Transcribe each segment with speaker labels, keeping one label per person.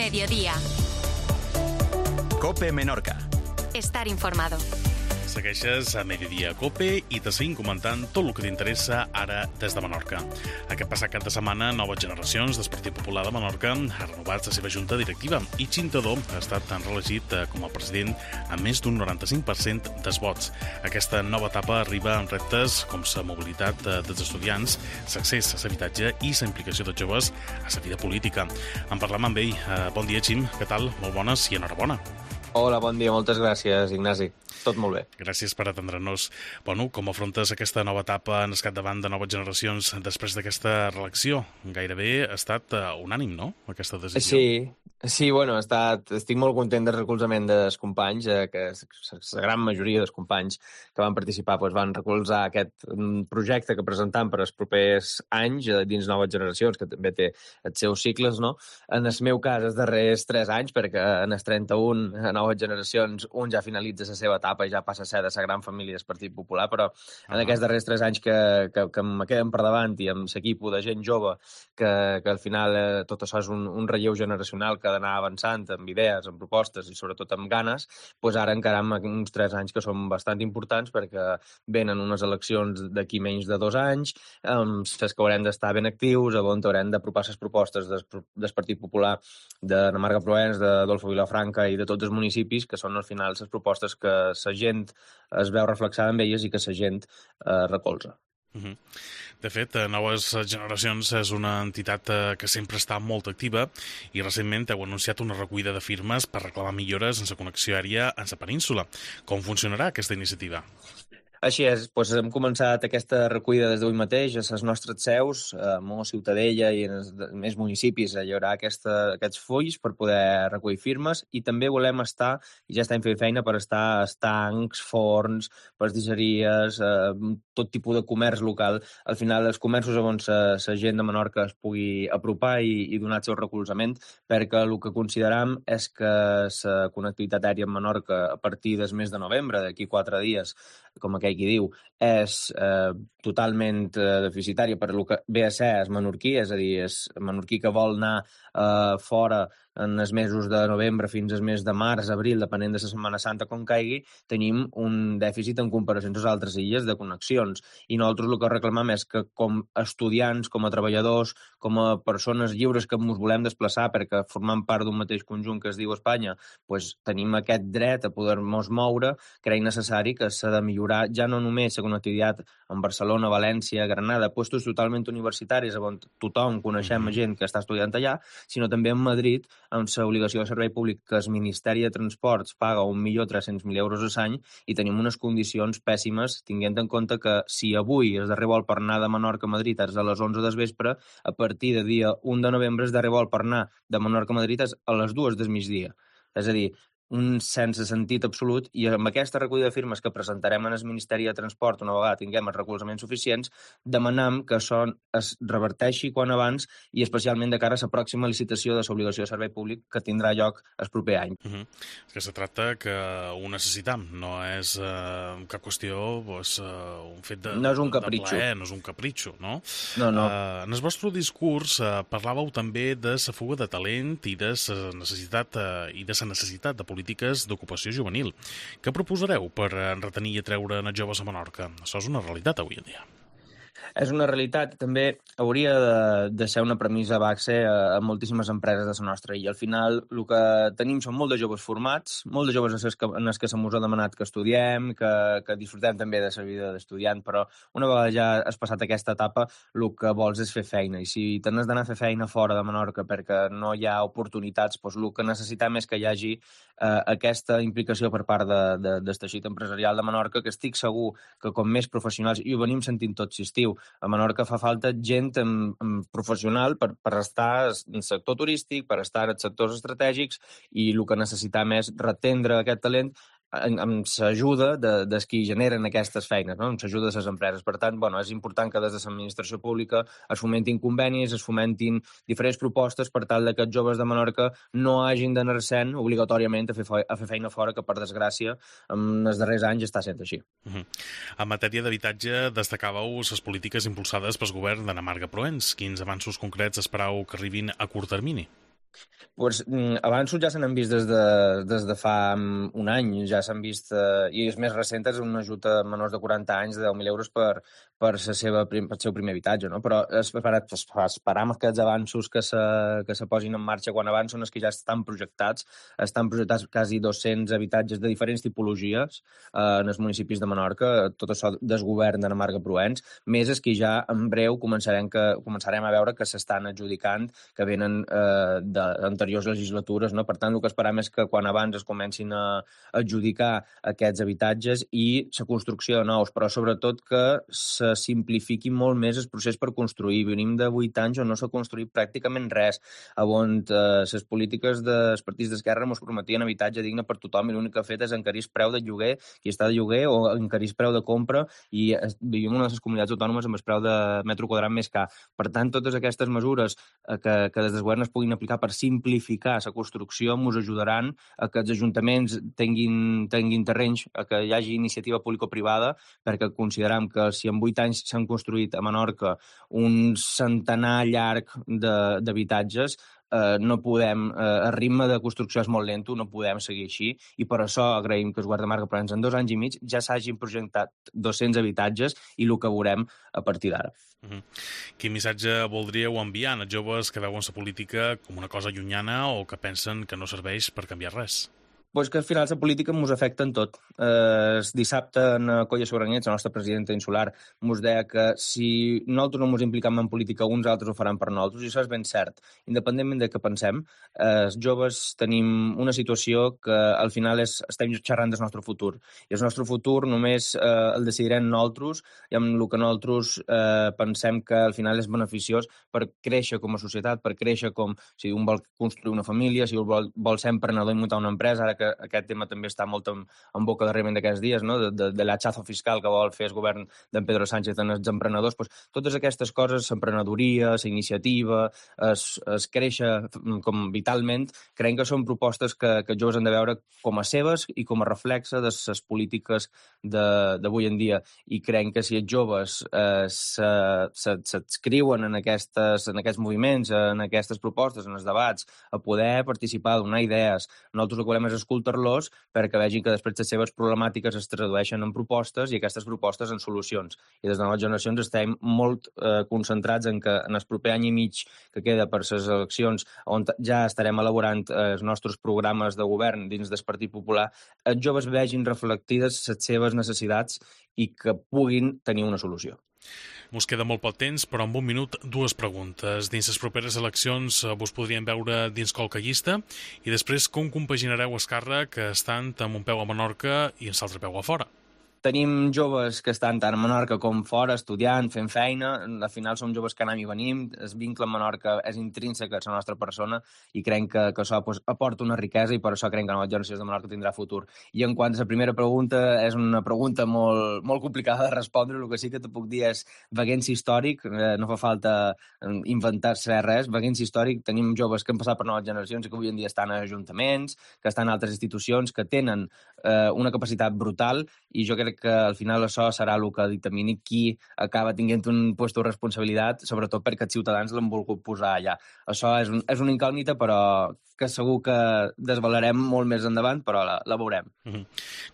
Speaker 1: Mediodía.
Speaker 2: COPE Menorca.
Speaker 1: Estar informado.
Speaker 3: Segueixes a Mediodía COPE i te seguim comentant tot el que t'interessa ara des de Menorca. Aquest passat cap de setmana, Noves Generacions del Partit Popular de Menorca ha renovat la seva junta directiva i Xintadó ha estat reelegit com a president amb més d'un 95% dels vots. Aquesta nova etapa arriba amb reptes com la mobilitat dels estudiants, l'accés a l'habitatge i la implicació dels joves a la vida política. En parlam amb ell. Bon dia, Xim. Què tal? Molt bones i enhorabona.
Speaker 4: Hola, bon dia. Moltes gràcies, Ignasi. Tot molt bé.
Speaker 3: Gràcies per atendre-nos. Bueno, com afrontes aquesta nova etapa en el capdavant de Noves Generacions després d'aquesta reelecció? Gairebé ha estat unànim, no?, aquesta decisió.
Speaker 4: Sí, bueno, estic molt content del recolzament dels companys, que la gran majoria dels companys que van participar van recolzar aquest projecte que presentam per als propers anys dins Noves Generacions, que també té els seus cicles, no? En el meu cas, els darrers 3 anys, perquè en els 31 a Noves Generacions un ja finalitza la seva etapa i ja passa a ser de la gran família del Partit Popular, però en aquests darrers 3 anys que me queden per davant i amb l'equip de gent jove, que al final tot això és un relleu generacional que ha d'anar avançant amb idees, amb propostes i sobretot amb ganes, doncs ara encaram uns 3 anys que són bastant importants perquè venen unes eleccions d'aquí menys de 2 anys, les que haurem d'estar ben actius, on haurem d'apropar les propostes del Partit Popular de Marga Proens, d'Adolfo Vilafranca i de tots els municipis, que són al final les propostes que la gent es veu reflexada en elles i que la gent recolza.
Speaker 3: De fet, Noves Generacions és una entitat que sempre està molt activa i recentment heu anunciat una recollida de firmes per reclamar millores en la connexió aèria en la península. Com funcionarà aquesta iniciativa?
Speaker 4: Així és, hem començat aquesta recollida des d'avui mateix a les nostres seus, a Mo, Ciutadella i en els més municipis hi haurà aquests fulls per poder recollir firmes i també volem estar, i ja estem fent feina per estar a estancs, forns, pastisseries, tot tipus de comerç local. Al final, els comerços on la gent de Menorca es pugui apropar i donar el seu recolzament, perquè el que consideram és que la connectivitat aèria en Menorca a partir del mes de novembre, d'aquí 4 dies, com aquell qui diu, és totalment deficitària per el que ve a ser el menorquí, és a dir, el menorquí que vol anar fora en els mesos de novembre fins al mes de març, abril, depenent de la Setmana Santa com caigui, tenim un dèficit en comparació amb les altres illes de connexions. I nosaltres el que reclamam és que com a estudiants, com a treballadors, com a persones lliures que ens volem desplaçar perquè formem part d'un mateix conjunt que es diu Espanya, tenim aquest dret a poder-nos moure, creiem necessari que s'ha de millorar ja no només la connectivitat en Barcelona, València, Granada, puestos totalment universitaris on tothom coneixem gent que està estudiant allà, sinó també en Madrid, amb l'obligació de servei públic que el Ministeri de Transports paga 1.300.000 euros a l'any i tenim unes condicions pèssimes, tenint en compte que si avui el darrer vol per anar de Menorca a Madrid és a les 11 del vespre, a partir de dia 1 de novembre el darrer vol per anar de Menorca a Madrid és a les 2 del migdia. És a dir, un sense sentit absolut, i amb aquesta recollida de firmes que presentarem en el Ministeri de Transport una vegada tinguem els recolzaments suficients, demanam que això es reverteixi quan abans i especialment de cara a la pròxima licitació de l'obligació de servei públic que tindrà lloc el proper any.
Speaker 3: És que se tracta que ho necessitam, no és cap qüestió, un fet de,
Speaker 4: no és un capritxo.
Speaker 3: De plaer, no és un capritxo, no?
Speaker 4: No.
Speaker 3: En el vostre discurs parlàveu també de la fuga de talent i de la necessitat de polítiques d'ocupació juvenil. Què proposareu per retenir i atreure joves a Menorca? Això és una realitat avui en dia.
Speaker 4: És una realitat, també hauria de ser una premissa base a moltíssimes empreses de la nostra illa. Al final, el que tenim són molts de joves formats, molts de joves en els que se mos ha demanat que estudiem, que disfrutem també de la vida d'estudiant, però una vegada ja has passat aquesta etapa, el que vols és fer feina. I si t'has d'anar a fer feina fora de Menorca perquè no hi ha oportunitats, el que necessitem és que hi hagi aquesta implicació per part del teixit empresarial de Menorca, que estic segur que com més professionals, i ho venim sentint tot l'estiu, a Menorca fa falta gent professional per estar en el sector turístic, per estar en els sectors estratègics, i el que necessitem és retendre aquest talent amb l'ajuda de qui generen aquestes feines, no? Amb l'ajuda de les empreses. Per tant, és important que des de l'administració pública es fomentin convenis, es fomentin diferents propostes per tal que els joves de Menorca no hagin d'anar-se'n obligatòriament a fer feina fora, que per desgràcia en els darrers anys està sent així.
Speaker 3: En matèria d'habitatge destacàveu les polítiques impulsades pel govern d'Anna Marga Proens. Quins avanços concrets esperau que arribin a curt termini?
Speaker 4: Pues, avanços ja se n'han vist des de fa un any, ja s'han vist, i és més recent, és un ajut a menors de 40 anys de 10.000 euros per el seu primer habitatge, no? Però esperam que els avanços que se posin en marxa quan avancen és que ja estan projectats quasi 200 habitatges de diferents tipologies en els municipis de Menorca, tot això del govern de Marga-Proens, més és que ja en breu començarem a veure que s'estan adjudicant, que venen d'anteriors legislatures, no? Per tant, el que esperam és que quan abans es comencin a adjudicar aquests habitatges i la construcció de nous, però sobretot que se simplifiqui molt més el procés per construir. Venim de 8 anys on no s'ha construït pràcticament res, on les polítiques dels partits d'esquerra ens prometien habitatge digne per tothom i l'únic que ha fet és encarir el preu de lloguer, qui està de lloguer, o encarir el preu de compra, i vivim en una de les comunitats autònomes amb el preu de metre quadrat més car. Per tant, totes aquestes mesures que des del govern es puguin aplicar per simplificar la construcció ens ajudaran a que els ajuntaments tinguin terrenys, a que hi hagi iniciativa público-privada, perquè consideram que si en 8 anys s'han construït a Menorca un centenar llarg d'habitatges, no podem, el ritme de construcció és molt lento, no podem seguir així, i per això agraïm que el govern de Marga-Proens en 2 anys i mig ja s'hagin projectat 200 habitatges i el que veurem a partir d'ara.
Speaker 3: Quin missatge voldríeu enviar als joves que veuen la política com una cosa llunyana o que pensen que no serveix per canviar res?
Speaker 4: Pues que al final la política ens afecta en tot. Dissabte, en Colla Sobranets, la nostra presidenta insular, ens deia que si nosaltres no ens implicam en política, uns altres ho faran per nosaltres, i això és ben cert. Independentment de què pensem, els joves tenim una situació que al final estem xerrant del nostre futur. I el nostre futur només el decidirem nosaltres, i amb el que nosaltres pensem que al final és beneficiós per créixer com a societat, per créixer com si un vol construir una família, si vol ser emprenedor i muntar una empresa, ara que aquest tema també està molt en boca darrerament d'aquests dies, no? de l'hachazo fiscal que vol fer el govern d'en Pedro Sánchez en els emprenedors. Pues, totes aquestes coses, l'emprenedoria, la iniciativa, es créixer com vitalment, creiem que són propostes que els joves han de veure com a seves i com a reflexe de les polítiques d'avui en dia. I creiem que si els joves s'adscriuen en aquests moviments, en aquestes propostes, en els debats, a poder participar, donar idees, nosaltres el que volem és escoltar-los perquè vegin que després les seves problemàtiques es tradueixen en propostes i aquestes propostes en solucions. I des de noves generacions estem molt concentrats en que en el proper any i mig que queda per les eleccions, on ja estarem elaborant els nostres programes de govern dins del Partit Popular, els joves vegin reflectides les seves necessitats i que puguin tenir una solució.
Speaker 3: Mos queda molt poc temps, però en un minut 2 preguntes. Dins les properes eleccions vos podríem veure dins qualque llista i després com compaginareu el càrrec estant amb un peu a Menorca i amb l'altre peu a fora?
Speaker 4: Tenim joves que estan tant a Menorca com fora, estudiant, fent feina. Al final som joves que anem i venim. El vincle amb Menorca és intrínsec a la nostra persona i creiem que això aporta una riquesa i per això creiem que la nova generació de Menorca tindrà futur. I en quant a la primera pregunta, és una pregunta molt, molt complicada de respondre. El que sí que te puc dir és vaguenci històric. No fa falta inventar-se res. Vaguenci històric. Tenim joves que han passat per noves generacions i que avui en dia estan a ajuntaments, que estan a altres institucions, que tenen una capacitat brutal, i jo crec que al final això serà el que dictamini qui acaba tinguent un lloc de responsabilitat, sobretot perquè els ciutadans l'han volgut posar allà. Això és una incògnita, però que segur que desvelarem molt més endavant, però la veurem.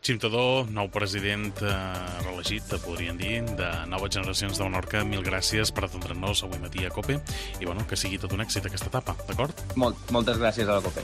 Speaker 3: Xim Tadó, nou president reelegit, podríem dir, de Noves Generacions de Menorca. Mil gràcies per atendre'ns avui matí a COPE i que sigui tot un èxit aquesta etapa, d'acord?
Speaker 4: Moltes gràcies a la COPE.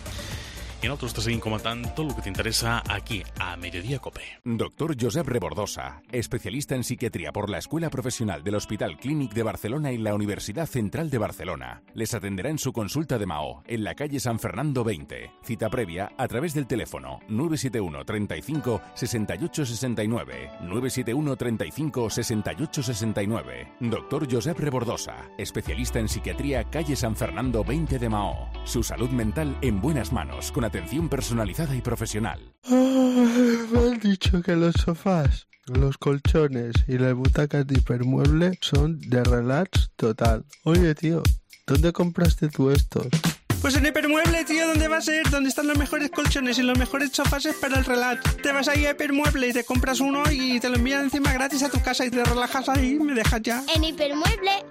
Speaker 3: I nosaltres te seguim comentant tot el que t'interessa aquí, a Mediodía Cope.
Speaker 1: Doctor Josep Rebordosa, especialista en psiquiatría por la Escuela Profesional del Hospital Clínic de Barcelona y la Universidad Central de Barcelona. Les atenderá en su consulta de Mahó, en la calle San Fernando 20. Cita previa a través del teléfono 971 35 68 69. 971 35 68 69. Doctor Josep Rebordosa, especialista en psiquiatría, calle San Fernando 20 de Mahó. Su salud mental en buenas manos, con atención personalizada y profesional.
Speaker 2: Me han dicho que los sofás, los colchones y las butacas de Hipermueble son de relax total. Oye, tío, ¿dónde compraste tú estos?
Speaker 5: Pues en Hipermueble, tío, ¿dónde va a ser? ¿Dónde están los mejores colchones y los mejores sofás para el relax? Te vas ahí a Hipermueble y te compras uno y te lo envían encima gratis a tu casa y te relajas ahí y me dejas ya.
Speaker 6: En Hipermueble